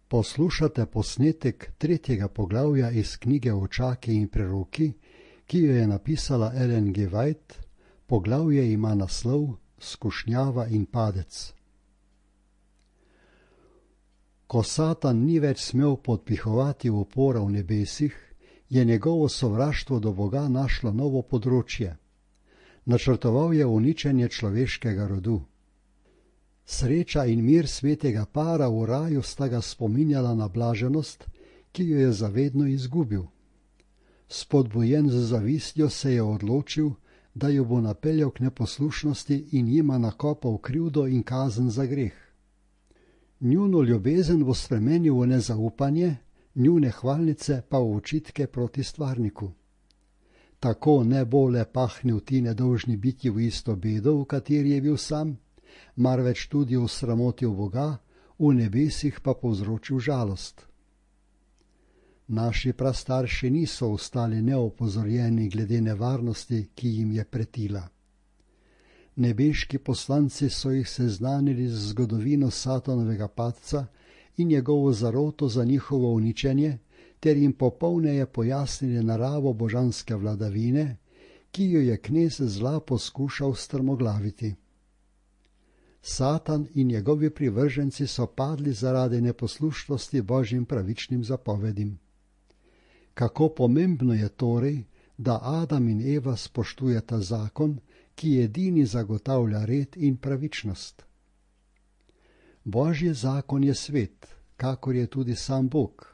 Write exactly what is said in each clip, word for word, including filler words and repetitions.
Poslušate posnetek tretjega poglavja iz knjige Očaki in preroki, ki jo je napisala Ellen G. White. Poglavje ima naslov Skušnjava in padec. Ko Satan ni več smel podpihovati upora v nebesih, je njegovo sovraštvo do Boga našlo novo področje. Načrtoval je uničenje človeškega rodu. Sreča in mir svetega para v raju sta ga spominjala na blaženost, ki jo je zavedno izgubil. Spodbujen z zavistjo se je odločil, da jo bo napeljal k neposlušnosti in jima nakopal krivdo in kazen za greh. Njuno ljubezen bo spremenil v nezaupanje, njune hvalnice pa v očitke proti stvarniku. Tako ne bo le pahnil ti nedolžni bitji v isto bedo, v kateri je bil sam, marveč tudi osramotil Boga, v nebesih pa povzročil žalost. Naši prastarši niso ostali neopozorjeni glede nevarnosti, ki jim je pretila. Nebeški poslanci so jih seznanili z zgodovino Satanovega padca in njegovo zaroto za njihovo uničenje, ter jim popolneje pojasnili naravo božanske vladavine, ki jo je knez zla poskušal strmoglaviti. Satan in njegovi privrženci so padli zaradi neposlušnosti Božjim pravičnim zapovedim. Kako pomembno je torej, da Adam in Eva spoštujeta zakon, ki edini zagotavlja red in pravičnost. Božji zakon je svet, kakor je tudi sam Bog.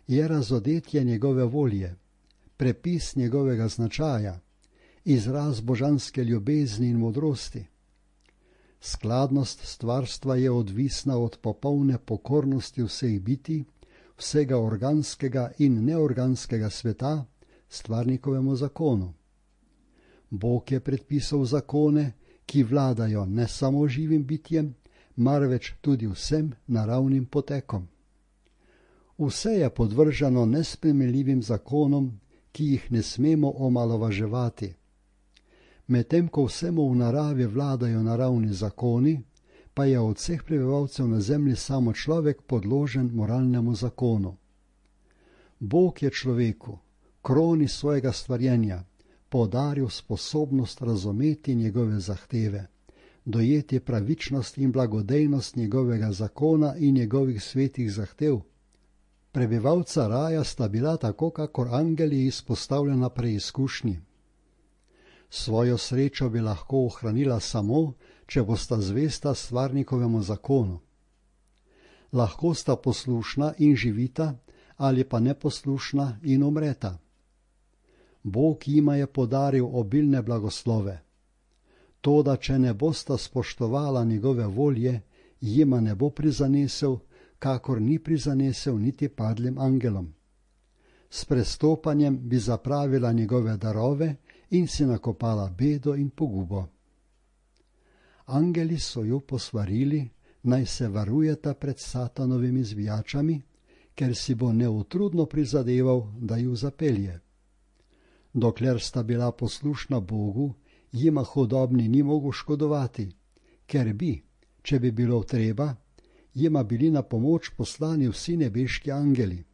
Je razodetje njegove volje, prepis njegovega značaja, izraz božanske ljubezni in modrosti. Skladnost stvarstva je odvisna od popolne pokornosti vseh bitij, vsega organskega in neorganskega sveta, stvarnikovemu zakonu. Bog je predpisal zakone, ki vladajo ne samo živim bitjem, marveč tudi vsem naravnim potekom. Vse je podvrženo nespremenljivim zakonom, ki jih ne smemo omalovaževati. Medtem ko vsemu v naravi vladajo naravni zakoni, pa je od vseh prebivalcev na zemlji samo človek podložen moralnemu zakonu. Bog je človeku, kroni svojega stvarjenja, podaril sposobnost razumeti njegove zahteve, dojeti pravičnost in blagodejnost njegovega zakona in njegovih svetih zahtev. Prebivalca raja sta bila tako kakor angeli izpostavljena preizkušnji. Svojo srečo bi lahko ohranila samo, če bosta zvesta stvarnikovemu zakonu. Lahko sta poslušna in živita, ali pa neposlušna in umreta. Bog jima je podaril obilne blagoslove. Toda, če ne bosta spoštovala njegove volje, jima ne bo prizanesel, kakor ni prizanesel niti padlim angelom. S prestopanjem bi zapravila njegove darove in si nakopala bedo in pogubo. Angeli so jo posvarili, naj se varujeta pred Satanovimi zvijačami, ker si bo neutrudno prizadeval, da ju zapelje. Dokler sta bila poslušna Bogu, jima hudobni ni mogel škodovati, ker bi, če bi bilo treba, jima bili na pomoč poslani vsi nebeški angeli.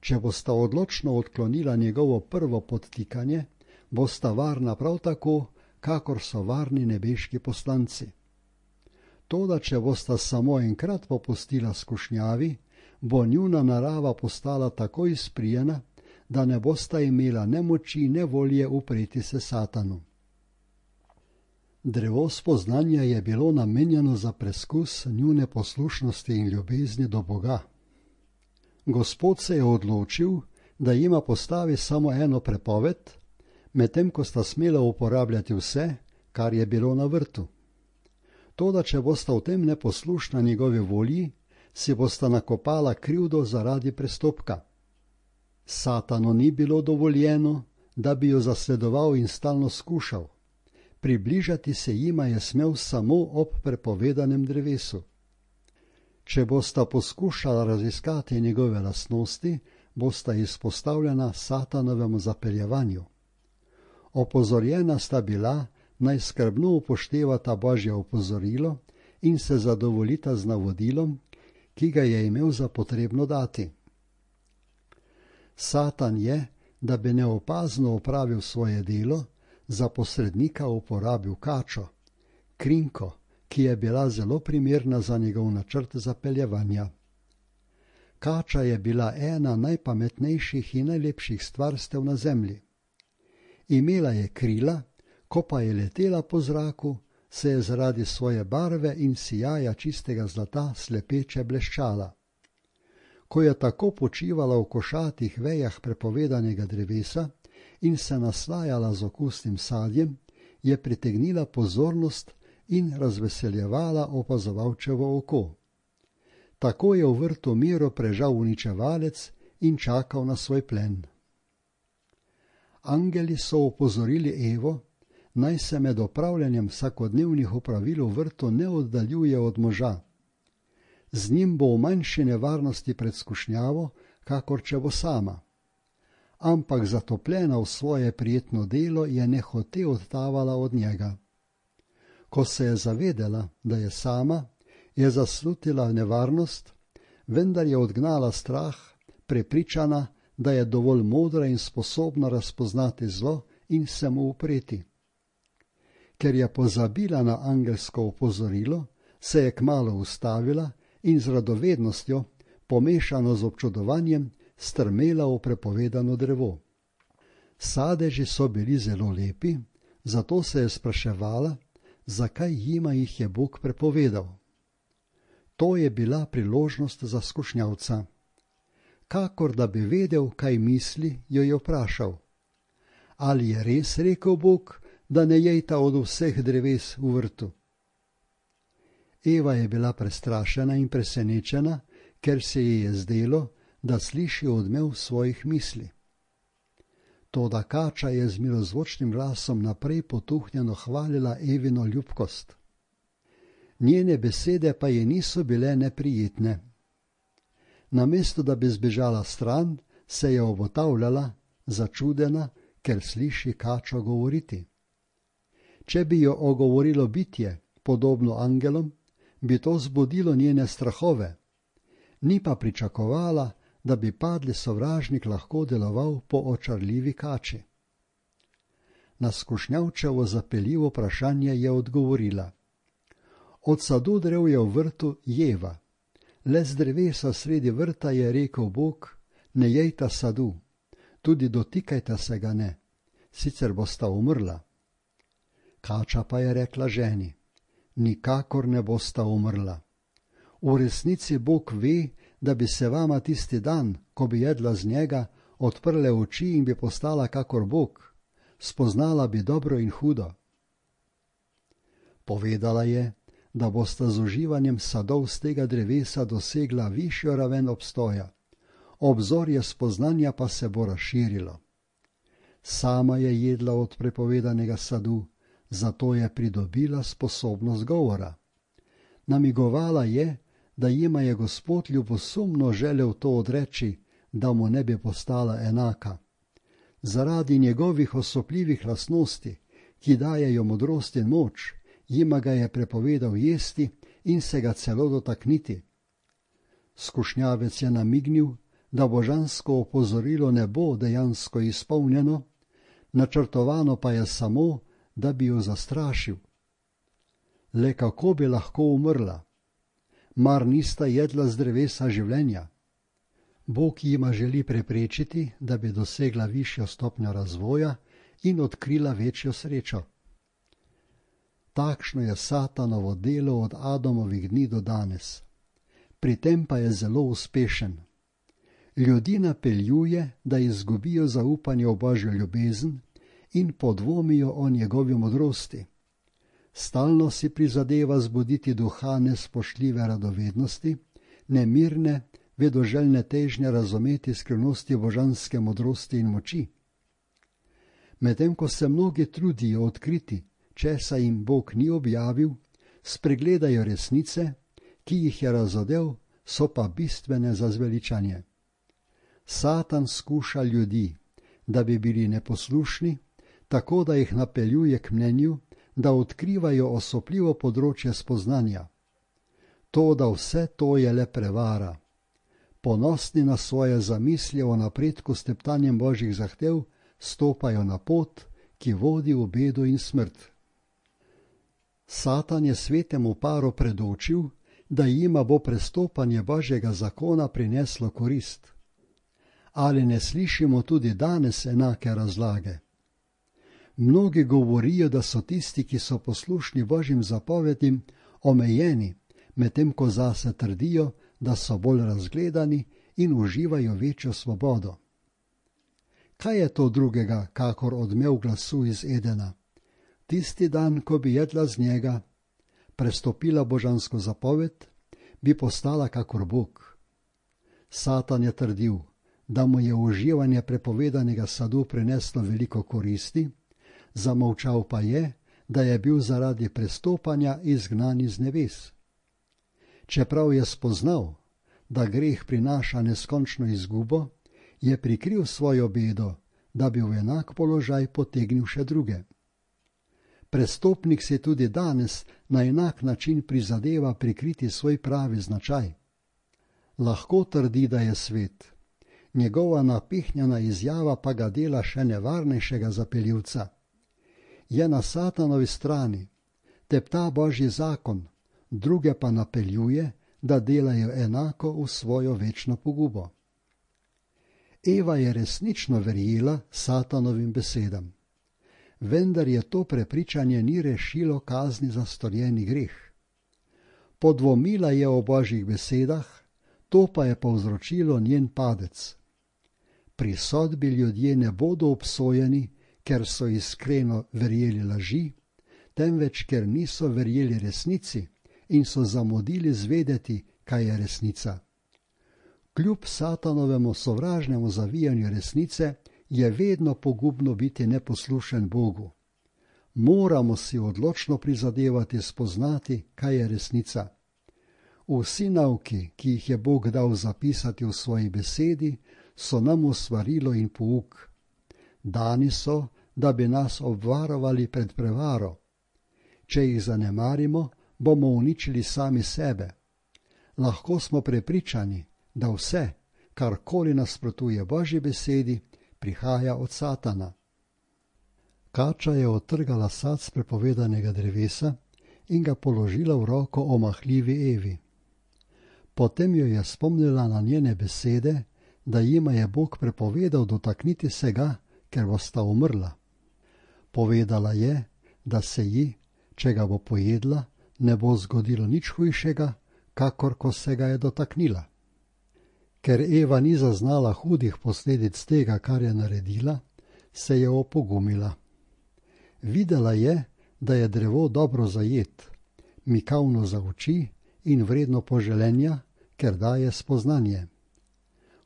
Če bosta odločno odklonila njegovo prvo podtikanje, bosta varna prav tako, kakor so varni nebeški poslanci. Toda, če bosta samo enkrat popustila skušnjavi, bo njuna narava postala tako izprijena, da ne bosta imela ne moči, ne volje upreti se Satanu. Drevo spoznanja je bilo namenjeno za preskus njune poslušnosti in ljubezni do Boga. Gospod se je odločil, da jima postavi samo eno prepoved, medtem ko sta smela uporabljati vse, kar je bilo na vrtu. Toda, če bosta v tem neposlušna njegovi volji, si bosta nakopala krivdo zaradi prestopka. Satanu ni bilo dovoljeno, da bi jo zasledoval in stalno skušal. Približati se jima je smel samo ob prepovedanem drevesu. Če bosta poskušala raziskati njegove lastnosti, bosta izpostavljena Satanovemu zapeljevanju. Opozorjena sta bila, naj skrbno upoštevata Božje opozorilo in se zadovoljita z navodilom, ki ga je imel za potrebno dati. Satan je, da bi neopazno opravil svoje delo, za posrednika uporabil kačo, krinko, ki je bila zelo primerna za njegov načrt zapeljevanja. Kača je bila ena najpametnejših in najlepših stvarstev na zemlji. Imela je krila, ko pa je letela po zraku, se je zaradi svoje barve in sijaja čistega zlata slepeče bleščala. Ko je tako počivala v košatih vejah prepovedanega drevesa in se naslajala z okusnim sadjem, je pritegnila pozornost in razveseljevala opazovalčevo oko. Tako je v vrtu miro prežal uničevalec in čakal na svoj plen. Angeli so opozorili Evo, naj se med opravljanjem vsakodnevnih opravil v vrtu ne oddaljuje od moža. Z njim bo v manjši nevarnosti pred skušnjavo, kakor če bo sama. Ampak zatopljena v svoje prijetno delo je nehote odtavala od njega. Ko se je zavedela, da je sama, je zaslutila nevarnost, vendar je odgnala strah, prepričana, da je dovolj modra in sposobna razpoznati zlo in se mu upreti. Ker je pozabila na angelsko opozorilo, se je kmalu ustavila in z radovednostjo, pomešano z občudovanjem, strmela v prepovedano drevo. Sadeži so bili zelo lepi, zato se je spraševala, zakaj jima jih je Bog prepovedal. To je bila priložnost za skušnjavca. Kakor da bi vedel, kaj misli, jo je vprašal. Ali je res rekel Bog, da ne jejta od vseh dreves v vrtu? Eva je bila prestrašena in presenečena, ker se ji je zdelo, da sliši odmev svojih misli. Toda kača je z milozvočnim glasom naprej potuhnjeno hvalila Evino ljubkost. Njene besede pa ji niso bile neprijetne. Namesto da bi zbežala stran, se je obotavljala, začudena, ker sliši kačo govoriti. Če bi jo ogovorilo bitje, podobno angelom, bi to zbudilo njene strahove. Ni pa pričakovala, da bi padli sovražnik lahko deloval po očarljivi kači. Na skušnjavčevo zapeljivo vprašanje je odgovorila. Od sadu drevja v vrtu jeva. Le z drevesa sredi vrta je rekel Bog, ne jejta sadu, tudi dotikajta se ga ne, sicer bosta umrla. Kača pa je rekla ženi, nikakor ne bosta umrla. V resnici Bog ve, da bi se vama tisti dan, ko bi jedla z njega, odprle oči in bi postala kakor Bog, spoznala bi dobro in hudo. Povedala je, da bosta z uživanjem sadov z tega drevesa dosegla višjo raven obstoja, obzorje spoznanja pa se bo razširilo. Sama je jedla od prepovedanega sadu, zato je pridobila sposobnost govora. Namigovala je, da jima je Gospod ljubosumno želel to odreči, da mu ne bi postala enaka. Zaradi njegovih osupljivih lastnosti, ki dajejo modrost in moč, jima ga je prepovedal jesti in se ga celo dotakniti. Skušnjavec je namignil, da božansko opozorilo ne bo dejansko izpolnjeno, načrtovano pa je samo, da bi jo zastrašil. Le kako bi lahko umrla? Mar nista jedla z drevesa življenja? Bog jima želi preprečiti, da bi dosegla višjo stopnjo razvoja in odkrila večjo srečo. Takšno je Satanovo delo od Adamovih dni do danes. Pri tem pa je zelo uspešen. Ljudi napeljuje, da izgubijo zaupanje v Božjo ljubezen in podvomijo o njegovi modrosti. Stalno si prizadeva zbuditi duha nespoštljive radovednosti, nemirne, vedoželjne težnje razumeti skrivnosti božanske modrosti in moči. Medtem ko se mnogi trudijo odkriti, česa jim Bog ni objavil, spregledajo resnice, ki jih je razodel, so pa bistvene za zveličanje. Satan skuša ljudi, da bi bili neposlušni, tako da jih napeljuje k mnenju, da odkrivajo osupljivo področje spoznanja. To, da vse to je le prevara. Ponosni na svoje zamisli o napredku s teptanjem božjih zahtev, stopajo na pot, ki vodi v bedo in smrt. Satan je svetemu paru predočil, da jima bo prestopanje božjega zakona prineslo korist. Ali ne slišimo tudi danes enake razlage? Mnogi govorijo, da so tisti, ki so poslušni božjim zapovedim, omejeni, medtem ko zase trdijo, da so bolj razgledani in uživajo večjo svobodo. Kaj je to drugega, kakor odmev glasu iz Edena? Tisti dan, ko bi jedla z njega, prestopila božansko zapoved, bi postala kakor Bog. Satan je trdil, da mu je uživanje prepovedanega sadu prineslo veliko koristi, zamolčal pa je, da je bil zaradi prestopanja izgnan iz nebes. Čeprav je spoznal, da greh prinaša neskončno izgubo, je prikril svojo bedo, da bi v enak položaj potegnil še druge. Prestopnik si tudi danes na enak način prizadeva prikriti svoj pravi značaj. Lahko trdi, da je svet, njegova napihnjena izjava pa ga dela še nevarnejšega zapeljivca. Je na Satanovi strani, tepta božji zakon, druge pa napeljuje, da delajo enako v svojo večno pogubo. Eva je resnično verjela Satanovim besedam, vendar je to prepričanje ni rešilo kazni za storjeni greh. Podvomila je o božjih besedah, to pa je povzročilo njen padec. Pri sodbi ljudje ne bodo obsojeni, ker so iskreno verjeli laži, temveč ker niso verjeli resnici in so zamudili zvedeti, kaj je resnica. Kljub Satanovemu sovražnemu zavijanju resnice je vedno pogubno biti neposlušen Bogu. Moramo si odločno prizadevati spoznati, kaj je resnica. Vsi nauki, ki jih je Bog dal zapisati v svoji besedi, so nam usvarilo in pouk. Dani so, da bi nas obvarovali pred prevaro. Če jih zanemarimo, bomo uničili sami sebe. Lahko smo prepričani, da vse, karkoli nasprotuje Božji besedi, prihaja od Satana. Kača je odtrgala sad s prepovedanega drevesa in ga položila v roko omahljivi Evi. Potem jo je spomnila na njene besede, da jima je Bog prepovedal dotakniti se ga, ker bosta umrla. Povedala je, da se ji, če ga bo pojedla, ne bo zgodilo nič hujšega, kakor ko se ga je dotaknila. Ker Eva ni zaznala hudih posledic tega, kar je naredila, se je opogumila. Videla je, da je drevo dobro zajet, mikavno za oči in vredno poželenja, ker daje spoznanje.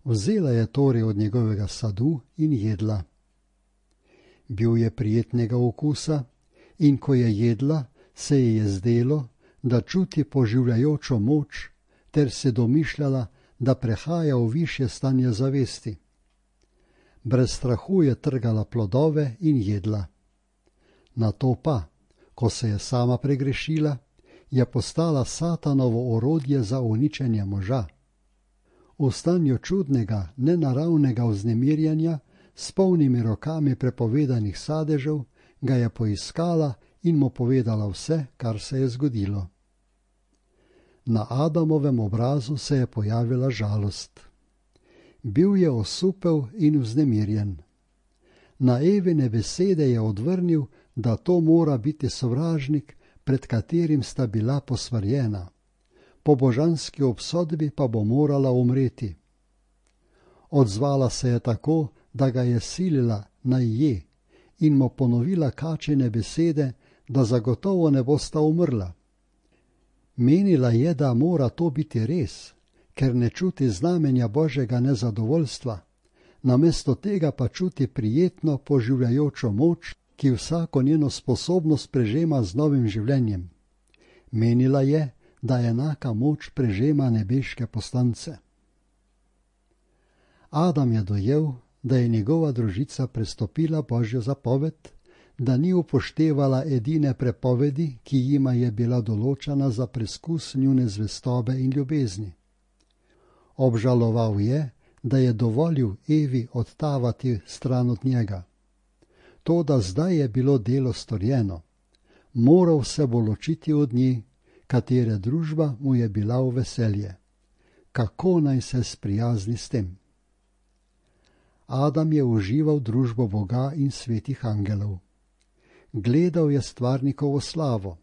Vzela je torej od njegovega sadu in jedla. Bil je prijetnega okusa in ko je jedla, se ji je zdelo, da čuti poživljajočo moč, ter se domišljala, da prehaja v višje stanje zavesti. Brez strahu je trgala plodove in jedla. Nato pa, ko se je sama pregrešila, je postala Satanovo orodje za uničenje moža. V stanju čudnega, nenaravnega vznemirjanja, s polnimi rokami prepovedanih sadežev, ga je poiskala in mu povedala vse, kar se je zgodilo. Na Adamovem obrazu se je pojavila žalost. Bil je osupel in vznemirjen. Na Evine besede je odvrnil, da to mora biti sovražnik, pred katerim sta bila posvarjena. Po božanski obsodbi pa bo morala umreti. Odzvala se je tako, da ga je silila naj je in mu ponovila kačine besede, da zagotovo ne bosta umrla. Menila je, da mora to biti res, ker ne čuti znamenja božjega nezadovoljstva, namesto tega pa čuti prijetno poživljajočo moč, ki vsako njeno sposobnost prežema z novim življenjem. Menila je, da enaka moč prežema nebeške poslance. Adam je dojel, da je njegova družica prestopila božjo zapoved, da ni upoštevala edine prepovedi, ki jima je bila določena za preskus njune zvestobe in ljubezni. Obžaloval je, da je dovolil Evi odtavati stran od njega. Toda zdaj je bilo delo storjeno. Moral se bo ločiti od nje, katere družba mu je bila v veselje. Kako naj se sprijazni s tem? Adam je užival družbo Boga in svetih angelov. Gledal je stvarnikovo slavo.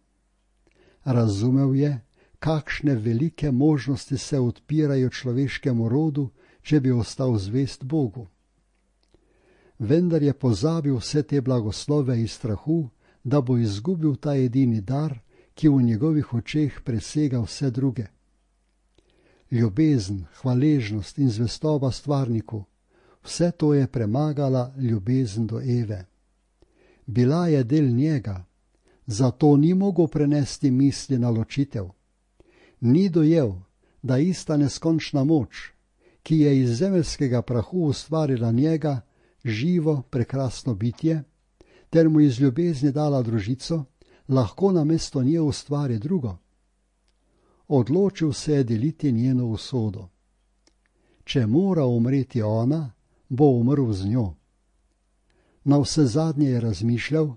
Razumel je, kakšne velike možnosti se odpirajo človeškemu rodu, če bi ostal zvest Bogu. Vendar je pozabil vse te blagoslove iz strahu, da bo izgubil ta edini dar, ki v njegovih očeh presega vse druge. Ljubezen, hvaležnost in zvestoba stvarniku, vse to je premagala ljubezen do Eve. Bila je del njega, zato ni mogel prenesti misli na ločitev. Ni dojel, da ista neskončna moč, ki je iz zemeljskega prahu ustvarila njega, živo, prekrasno bitje, ter mu iz ljubezni dala družico, lahko namesto nje ustvari drugo. Odločil se je deliti njeno usodo. Če mora umreti ona, bo umrl z njo. Navsezadnje je razmišljal,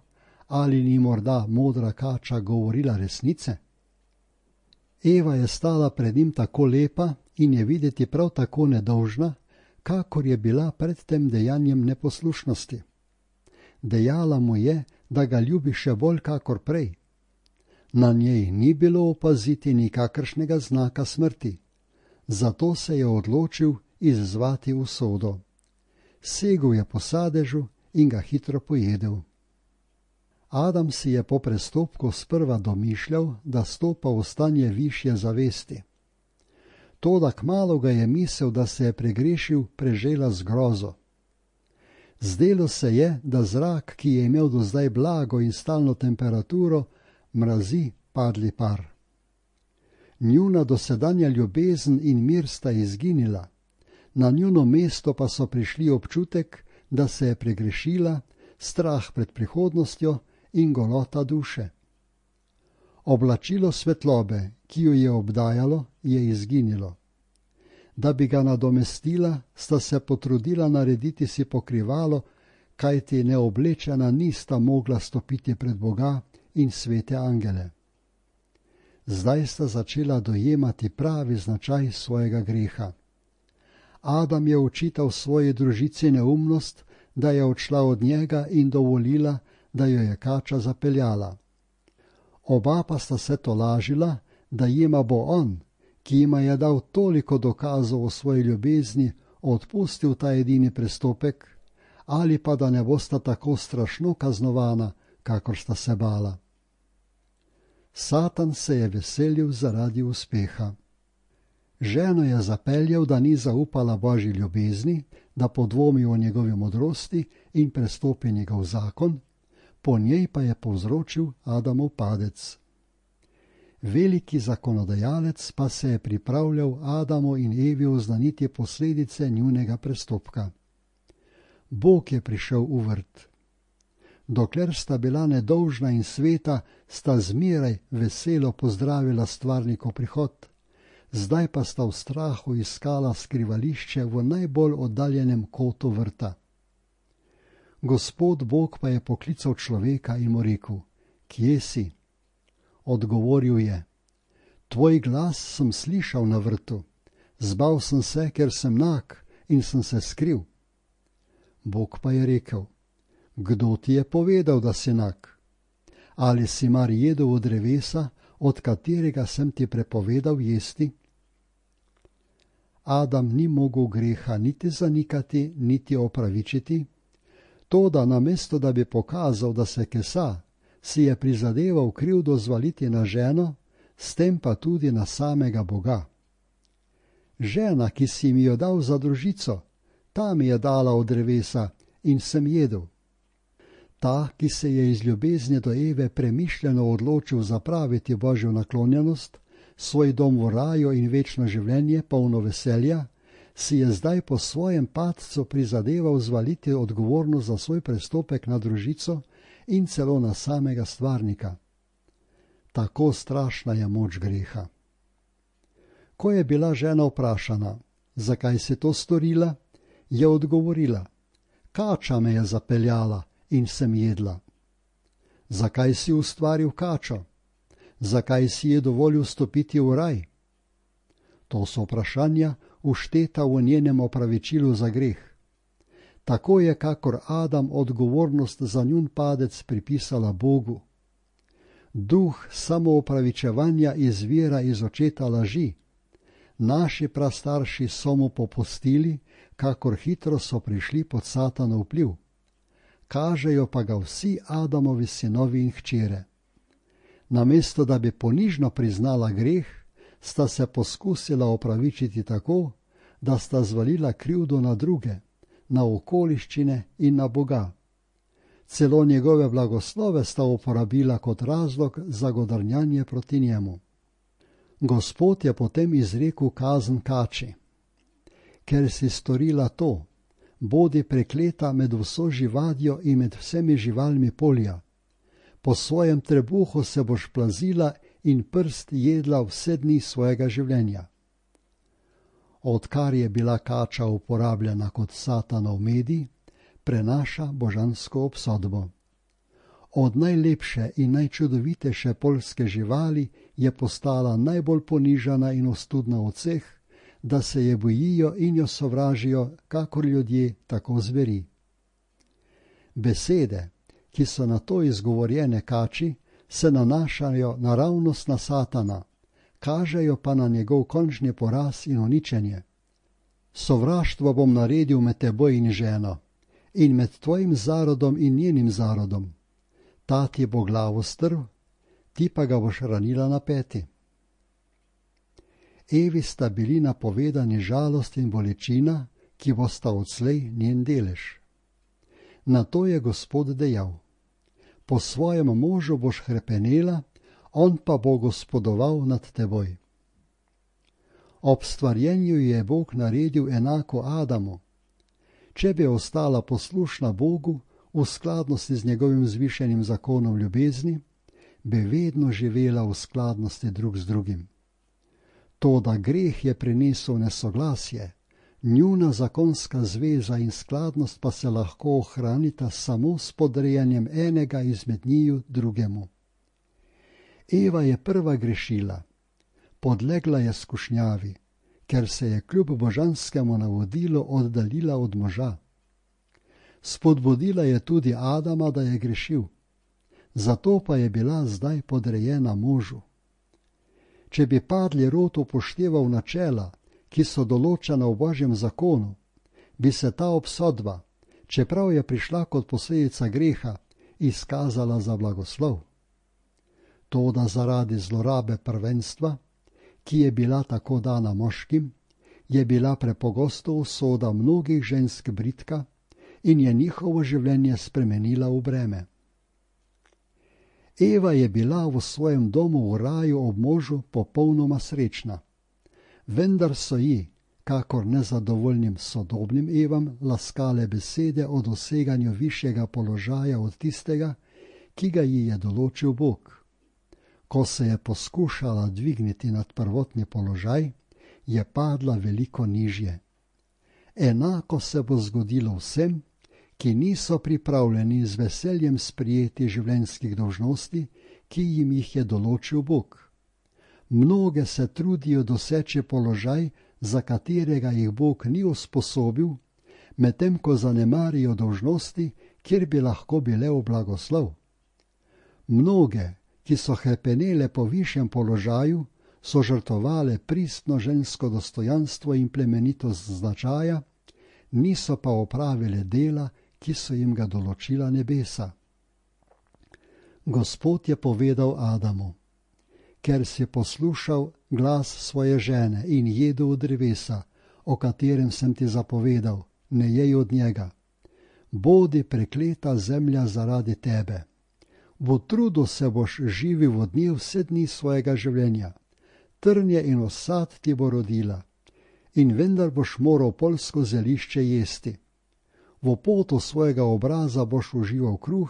ali ni morda modra kača govorila resnice. Eva je stala pred njim tako lepa in je videti prav tako nedolžna, kakor je bila pred tem dejanjem neposlušnosti. Dejala mu je, da ga ljubi še bolj kakor prej. Na njej ni bilo opaziti nikakršnega znaka smrti, zato se je odločil izzvati usodo. Segel je po sadežu in ga hitro pojedel. Adam si je po prestopku sprva domišljal, da stopa v stanje višje zavesti. Toda kmalu ga je misel, da se je pregrešil, prežela z grozo. Zdelo se je, da zrak, ki je imel do zdaj blago in stalno temperaturo, mrazi padli par. Njuna dosedanja ljubezen in mir sta izginila, na njuno mesto pa so prišli občutek, da se je pregrešila, strah pred prihodnostjo in golota duše. Oblačilo svetlobe, ki jo je obdajalo, je izginilo. Da bi ga nadomestila, sta se potrudila narediti si pokrivalo, kajti neoblečena nista mogla stopiti pred Boga in svete angele. Zdaj sta začela dojemati pravi značaj svojega greha. Adam je očital svoji družici neumnost, da je odšla od njega in dovolila, da jo je kača zapeljala. Oba pa sta se tolažila, da jima bo on, ki jima je dal toliko dokazov o svoji ljubezni, odpustil ta edini prestopek, ali pa da ne bosta tako strašno kaznovana, kakor sta se bala. Satan se je veselil zaradi uspeha. Ženo je zapeljal, da ni zaupala Božji ljubezni, da podvomi o njegovi modrosti in prestopi njegov zakon, po njej pa je povzročil Adamov padec. Veliki zakonodajalec pa se je pripravljal Adamu in Evi oznaniti posledice njunega prestopka. Bog je prišel v vrt. Dokler sta bila nedolžna in sveta, sta zmeraj veselo pozdravila stvarnikov prihod. Zdaj pa sta v strahu iskala skrivališče v najbolj oddaljenem kotu vrta. Gospod Bog pa je poklical človeka in mu rekel: Kje si? Odgovoril je: Tvoj glas sem slišal na vrtu, zbal sem se, ker sem nag in sem se skril. Bog pa je rekel: Kdo ti je povedal, da si nag? Ali si mar jedel od drevesa, od katerega sem ti prepovedal jesti? Adam ni mogel greha niti zanikati, niti opravičiti, toda namesto da bi pokazal, da se kesa, si je prizadeval krivdo zvaliti na ženo, s tem pa tudi na samega Boga. Žena, ki si mi jo dal za družico, ta mi je dala od drevesa in sem jedel. Ta, ki se je iz ljubezni do Eve premišljeno odločil zapraviti Božjo naklonjenost, svoj dom v raju in večno življenje polno veselja, si je zdaj po svojem padcu prizadeval zvaliti odgovornost za svoj prestopek na družico in celo na samega stvarnika. Tako strašna je moč greha. Ko je bila žena vprašana, zakaj si to storila, je odgovorila: kača me je zapeljala in sem jedla. Zakaj si ustvaril kačo? Zakaj si je dovolil stopiti v raj? To so vprašanja, všteta v njenem opravičilu za greh. Tako je, kakor Adam odgovornost za njun padec pripisala Bogu. Duh samoopravičevanja izvira iz očeta laži. Naši prastarši so mu popustili, kakor hitro so prišli pod Satanov vpliv. Kažejo pa ga vsi Adamovi sinovi in hčere. Namesto da bi ponižno priznala greh, sta se poskusila opravičiti tako, da sta zvalila krivdo na druge, na okoliščine in na Boga. Celo njegove blagoslove sta uporabila kot razlog za godrnjanje proti njemu. Gospod je potem izrekel kazen kači: ker si storila to, bodi prekleta med vso živadjo in med vsemi živalmi polja. Po svojem trebuhu se boš plazila in prst jedla vse dni svojega življenja. Odkar je bila kača uporabljena kot Satanov medij, prenaša božansko obsodbo. Od najlepše in najčudovitejše poljske živali je postala najbolj ponižana in ostudna od vseh, da se je bojijo in jo sovražijo, kakor ljudje, tako zveri. Besede, ki so na to izgovorjene kači, se nanašajo naravnost na Satana, kažejo pa na njegov končni poraz in uničenje. Sovraštvo bom naredil med teboj in ženo, in med tvojim zarodom in njenim zarodom. Ta ti bo glavo strv, ti pa ga boš ranila na peti. Evi sta bili napovedani žalost in bolečina, ki bosta odslej njen delež. Na to je Gospod dejal: po svojem možu boš hrepenela, on pa bo gospodoval nad teboj. Ob stvarjenju je Bog naredil enako Adamu. Če bi ostala poslušna Bogu v skladnosti z njegovim zvišenim zakonom ljubezni, bi vedno živela v skladnosti drug z drugim. Toda greh je prinesel nesoglasje, njuna zakonska zveza in skladnost pa se lahko ohranita samo s podrejanjem enega izmed njiju drugemu. Eva je prva grešila, podlegla je skušnjavi, ker se je kljub božanskemu navodilu oddaljila od moža. Spodbudila je tudi Adama, da je grešil, zato pa je bila zdaj podrejena možu. Če bi padli rod upošteval načela, ki so določena v Božjem zakonu, bi se ta obsodba, čeprav je prišla kot posledica greha, izkazala za blagoslov. Toda zaradi zlorabe prvenstva, ki je bila tako dana moškim, je bila prepogosto usoda mnogih žensk bridka in je njihovo življenje spremenila v breme. Eva je bila v svojem domu v raju ob možu popolnoma srečna, vendar so ji, kakor nezadovoljnim sodobnim Evam, laskale besede o doseganju višjega položaja od tistega, ki ga ji je določil Bog. Ko se je poskušala dvigniti nad prvotni položaj, je padla veliko nižje. Enako se bo zgodilo vsem, ki niso pripravljeni z veseljem sprijeti življenjskih dolžnosti, ki jim jih je določil Bog. Mnoge se trudijo doseči položaj, za katerega jih Bog ni usposobil, medtem ko zanemarijo dolžnosti, kjer bi lahko bile v blagoslov. Mnoge, ki so hrepenele po višjem položaju, so žrtvovale pristno žensko dostojanstvo in plemenitost značaja, niso pa opravile dela, ki so jim ga določila nebesa. Gospod je povedal Adamu: ker si poslušal glas svoje žene in jedel od drevesa, o katerem sem ti zapovedal, ne jej od njega. Bodi prekleta zemlja zaradi tebe. V trudu se boš živil od nje vse dni svojega življenja. Trnje in osad ti bo rodila, in vendar boš moral poljsko zelišče jesti. V potu svojega obraza boš užival kruh,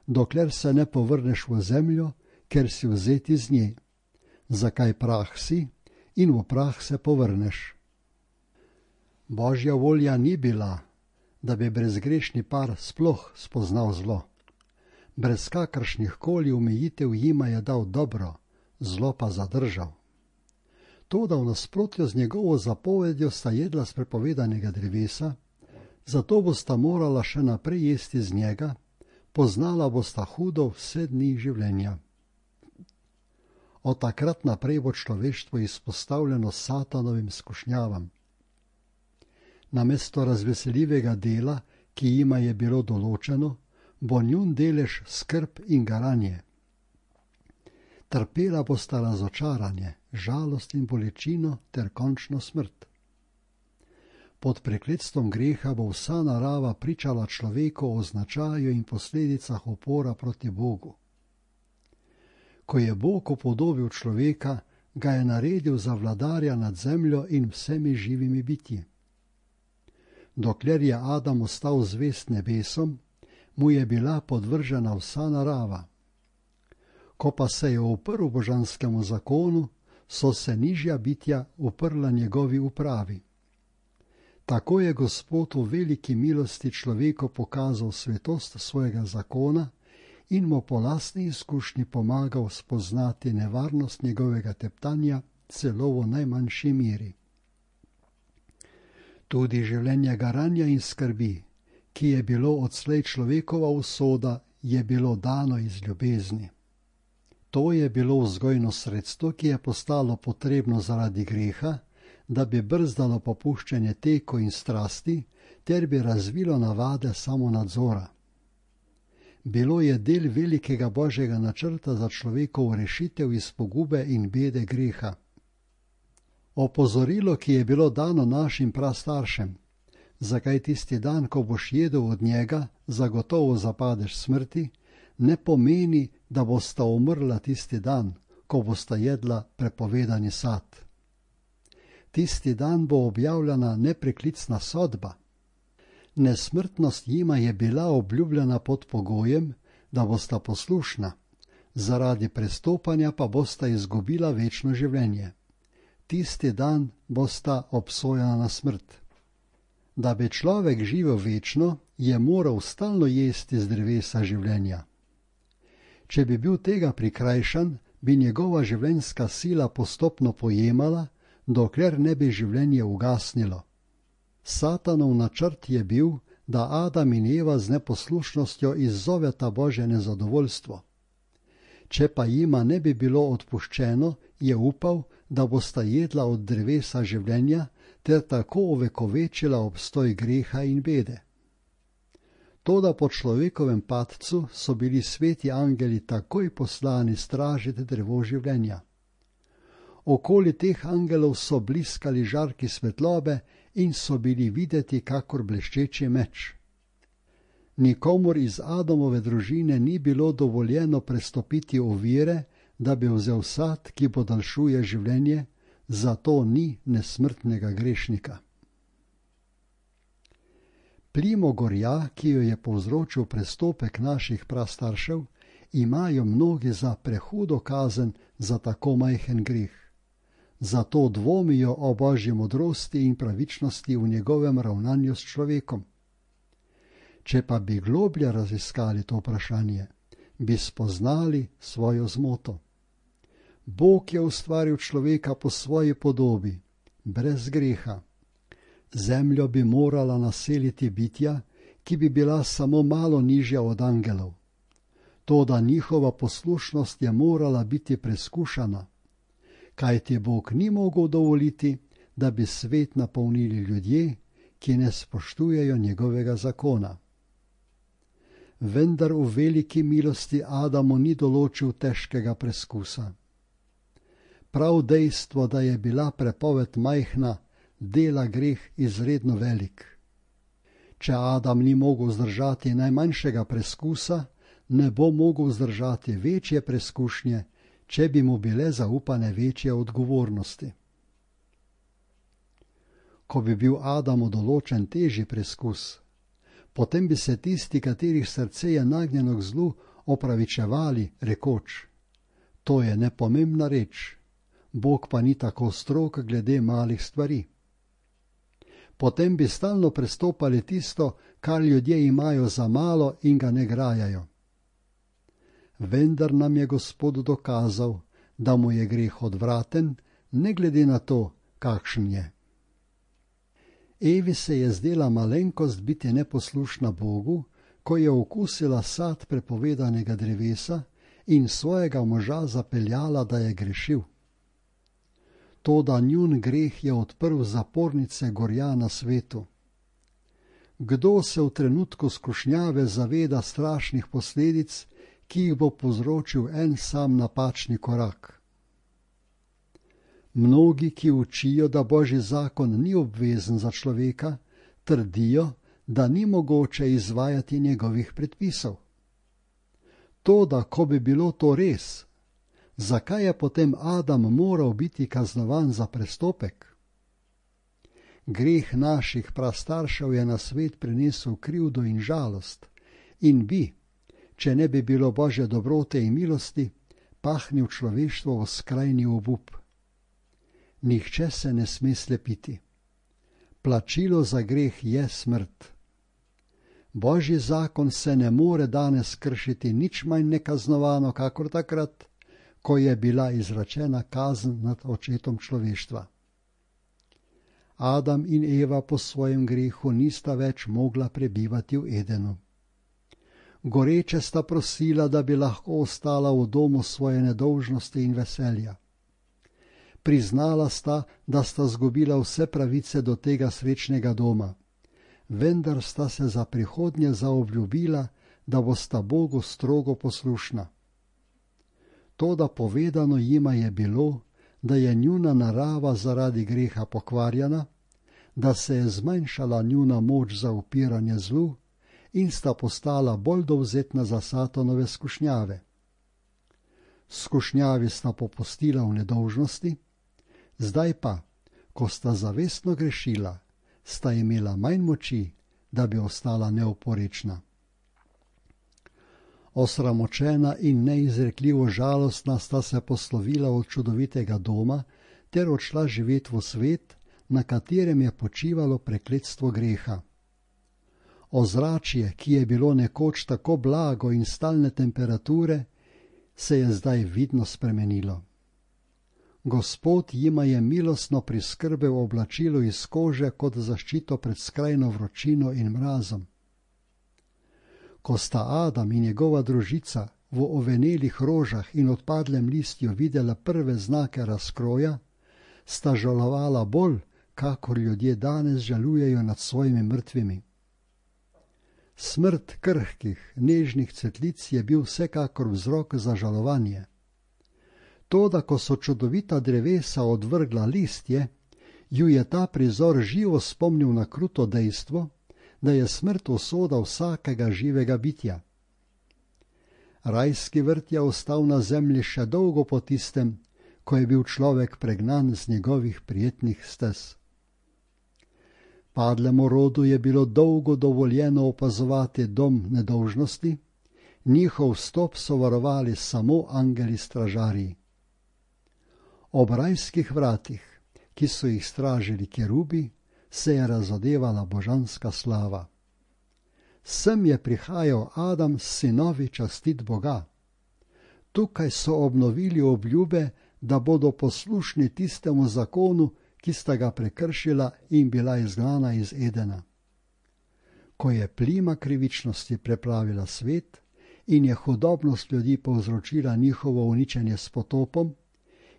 dokler se ne povrneš v zemljo, ker si vzet iz nje. Zakaj prah si in v prah se povrneš. Božja volja ni bila, da bi brezgrešni par sploh spoznal zlo. Brez kakršnih koli omejitev jima je dal dobro, zlo pa zadržal. Toda v nasprotju z njegovo zapovedjo sta jedla z prepovedanega drevesa, zato bosta morala še naprej jesti z njega, poznala bosta hudo vse dni življenja. Od takrat naprej bo človeštvo izpostavljeno satanovim skušnjavam. Namesto razveseljivega dela, ki jima je bilo določeno, bo njun delež skrb in garanje. Trpela bosta razočaranje, žalost in bolečino ter končno smrt. Pod prekletstvom greha bo vsa narava pričala človeku o značaju in posledicah upora proti Bogu. Ko je Bog upodobil človeka, ga je naredil za vladarja nad zemljo in vsemi živimi bitji. Dokler je Adam ostal zvest nebesom, mu je bila podvržena vsa narava. Ko pa se je uprl božanskemu zakonu, so se nižja bitja uprla njegovi upravi. Tako je Gospod v veliki milosti človeku pokazal svetost svojega zakona in mu po lastni izkušnji pomagal spoznati nevarnost njegovega teptanja celo v najmanjši meri. Tudi življenje garanja in skrbi, ki je bilo odslej človekova usoda, je bilo dano iz ljubezni. To je bilo vzgojno sredstvo, ki je postalo potrebno zaradi greha, da bi brzdalo popuščanje teku in strasti, ter bi razvilo navade samonadzora. Bilo je del velikega Božjega načrta za človekov rešitev iz pogube in bede greha. Opozorilo, ki je bilo dano našim prastaršem, zakaj tisti dan, ko boš jedel od njega, zagotovo zapadeš smrti, ne pomeni, da bosta umrla tisti dan, ko bosta jedla prepovedani sad. Tisti dan bo objavljena nepreklicna sodba. Nesmrtnost jima je bila obljubljena pod pogojem, da bosta poslušna, zaradi prestopanja pa bosta izgubila večno življenje. Tisti dan bosta obsojena na smrt. Da bi človek živel večno, je moral stalno jesti z drevesa življenja. Če bi bil tega prikrajšan, bi njegova življenjska sila postopno pojemala, dokler ne bi življenje ugasnilo. Satanov načrt je bil, da Adam in Eva z neposlušnostjo izzoveta Božje nezadovoljstvo. Če pa jima ne bi bilo odpuščeno, je upal, da bosta jedla od drevesa življenja ter tako ovekovečila obstoj greha in bede. Toda po človekovem padcu so bili sveti angeli takoj poslani stražiti drevo življenja. Okoli teh angelov so bliskali žarki svetlobe in so bili videti kakor bleščeči meč. Nikomur iz Adamove družine ni bilo dovoljeno prestopiti ovire, da bi vzel sad, ki podaljšuje življenje, zato ni nesmrtnega grešnika. Plimo gorja, ki jo je povzročil prestopek naših prastaršev, imajo mnogi za prehudo kazen za tako majhen greh. Zato dvomijo o Božji modrosti in pravičnosti v njegovem ravnanju s človekom. Če pa bi globlje raziskali to vprašanje, bi spoznali svojo zmoto. Bog je ustvaril človeka po svoji podobi, brez greha. Zemljo bi morala naseliti bitja, ki bi bila samo malo nižja od angelov. Toda njihova poslušnost je morala biti preskušana, kajti Bog ni mogel dovoliti, da bi svet napolnili ljudje, ki ne spoštujejo njegovega zakona. Vendar v veliki milosti Adamu ni določil težkega preskusa. Prav dejstvo, da je bila prepoved majhna, dela greh izredno velik. Če Adam ni mogel zdržati najmanjšega preskusa, ne bo mogel zdržati večje preskušnje, če bi mu bile zaupane večje odgovornosti. Ko bi bil Adamu določen težji preskus, potem bi se tisti, katerih srce je nagnjeno k zlu, opravičevali, rekoč: to je nepomembna reč, Bog pa ni tako strog glede malih stvari. Potem bi stalno prestopali tisto, kar ljudje imajo za malo in ga ne grajajo. Vendar nam je Gospod dokazal, da mu je greh odvraten, ne glede na to, kakšen je. Evi se je zdela malenkost biti neposlušna Bogu, ko je okusila sad prepovedanega drevesa in svojega moža zapeljala, da je grešil. Toda njun greh je odprl zapornice gorja na svetu. Kdo se v trenutku skušnjave zaveda strašnih posledic, ki jih bo povzročil en sam napačni korak? Mnogi, ki učijo, da Božji zakon ni obvezen za človeka, trdijo, da ni mogoče izvajati njegovih predpisov. Toda, ko bi bilo to res, zakaj je potem Adam moral biti kaznovan za prestopek? Greh naših prastaršev je na svet prinesel krivdo in žalost in bi, če ne bi bilo Božje dobrote in milosti, pahnil človeštvo v skrajni obup. Nihče se ne sme slepiti. Plačilo za greh je smrt. Božji zakon se ne more danes kršiti nič manj nekaznovano, kakor takrat, ko je bila izrečena kazen nad očetom človeštva. Adam in Eva po svojem grehu nista več mogla prebivati v Edenu. Goreče sta prosila, da bi lahko ostala v domu svoje nedolžnosti in veselja. Priznala sta, da sta zgubila vse pravice do tega srečnega doma, vendar sta se za prihodnje zaobljubila, da bosta Bogu strogo poslušna. Toda povedano jima je bilo, da je njuna narava zaradi greha pokvarjena, da se je zmanjšala njuna moč za upiranje zlu in sta postala bolj dovzetna za Satanove skušnjave. Skušnjavi sta popustila v nedolžnosti, zdaj pa, ko sta zavestno grešila, sta imela manj moči, da bi ostala neoporečna. Osramočena in neizrekljivo žalostna sta se poslovila od čudovitega doma ter odšla živeti v svet, na katerem je počivalo prekletstvo greha. Ozračje, ki je bilo nekoč tako blago in stalne temperature, se je zdaj vidno spremenilo. Gospod jima je milostno priskrbel oblačilo iz kože kot zaščito pred skrajno vročino in mrazom. Ko sta Adam in njegova družica v ovenelih rožah in odpadlem listju videla prve znake razkroja, sta žalovala bolj, kakor ljudje danes žalujejo nad svojimi mrtvimi. Smrt krhkih, nežnih cvetlic je bil vsekakor vzrok za žalovanje. Toda, ko so čudovita drevesa odvrgla listje, ju je ta prizor živo spomnil na kruto dejstvo, da je smrt usoda vsakega živega bitja. Rajski vrt je ostal na zemlji še dolgo po tistem, ko je bil človek pregnan z njegovih prijetnih stez. Padlemu rodu je bilo dolgo dovoljeno opazovati dom nedolžnosti, njihov vstop so varovali samo angeli stražarji. Ob rajskih vratih, ki so jih stražili kerubi, se je razodevala božanska slava. Sem je prihajal Adam s sinovi častit Boga. Tukaj so obnovili obljube, da bodo poslušni tistemu zakonu, ki sta ga prekršila in bila izgnana iz Edena. Ko je plima krivičnosti preplavila svet in je hudobnost ljudi povzročila njihovo uničenje s potopom,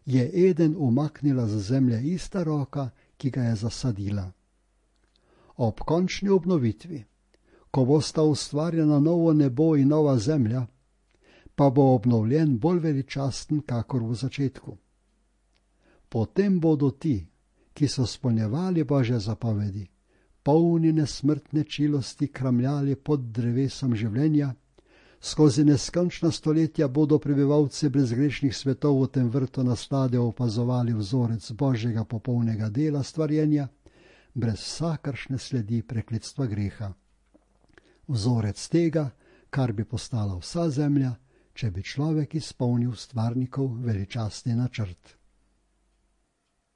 je Eden umaknila z zemlje ista roka, ki ga je zasadila. Ob končni obnovitvi, ko bosta ustvarjena novo nebo in nova zemlja, pa bo obnovljen bolj veličasten, kakor v začetku. Potem bodo ti, ki so spolnjevali Božje zapovedi, polni nesmrtne čilosti kramljali pod drevesom življenja, skozi neskončna stoletja bodo prebivalci brezgrešnih svetov v tem vrtu naslade opazovali vzorec Božjega popolnega dela stvarjenja, brez vsakršne sledi prekletstva greha. Vzorec tega, kar bi postala vsa zemlja, če bi človek izpolnil stvarnikov veličastni načrt.